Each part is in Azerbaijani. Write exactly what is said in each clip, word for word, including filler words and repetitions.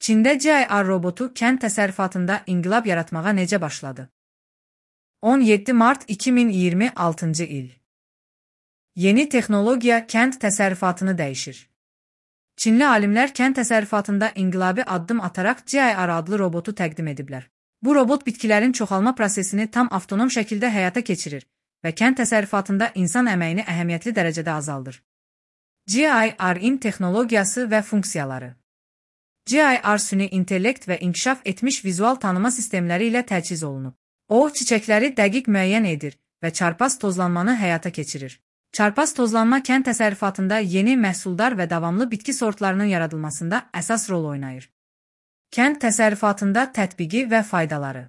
Çində G I R robotu kənd təsərrüfatında inqilab yaratmağa necə başladı? on yeddi mart iki min iyirmi altıncı il. Yeni texnologiya kənd təsərrüfatını dəyişir. Çinli alimlər kənd təsərrüfatında inqilabi addım ataraq G I R adlı robotu təqdim ediblər. Bu robot bitkilərin çoxalma prosesini tam avtonom şəkildə həyata keçirir və kənd təsərrüfatında insan əməyini əhəmiyyətli dərəcədə azaldır. G I R-in texnologiyası və funksiyaları. G I R süni intellekt və inkişaf etmiş vizual tanıma sistemləri ilə təchiz olunub. O, çiçəkləri dəqiq müəyyən edir və çarpaz tozlanmanı həyata keçirir. Çarpaz tozlanma kənd təsərrüfatında yeni məhsuldar və davamlı bitki sortlarının yaradılmasında əsas rol oynayır. Kənd təsərrüfatında tətbiqi və faydaları.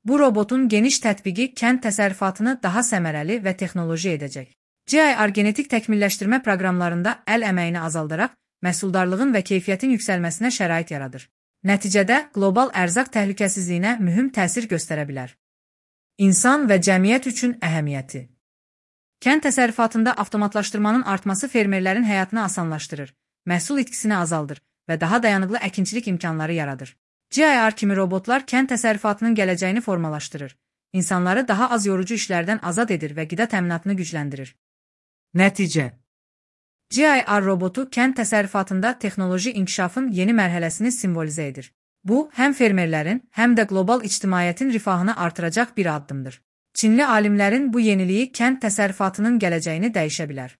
Bu robotun geniş tətbiqi kənd təsərrüfatını daha səmərəli və texnoloji edəcək. G I R genetik təkmilləşdirmə proqramlarında əl əməyini azaldaraq, məhsuldarlığın və keyfiyyətin yüksəlməsinə şərait yaradır. Nəticədə, qlobal ərzaq təhlükəsizliyinə mühüm təsir göstərə bilər. İnsan və cəmiyyət üçün əhəmiyyəti. Kənd təsərrüfatında avtomatlaşdırmanın artması fermerlərin həyatını asanlaşdırır, məhsul itkisini azaldır və daha dayanıqlı əkinçilik imkanları yaradır. G I R kimi robotlar kənd təsərrüfatının gələcəyini formalaşdırır, insanları daha az yorucu işlərdən azad edir və qida təminatını gücləndirir. Nəticə. G I R robotu kənd təsərrüfatında texnoloji inkişafın yeni mərhələsini simvolizə edir. Bu, həm fermerlərin, həm də qlobal ictimaiyyətin rifahını artıracaq bir addımdır. Çinli alimlərin bu yeniliyi kənd təsərrüfatının gələcəyini dəyişə bilər.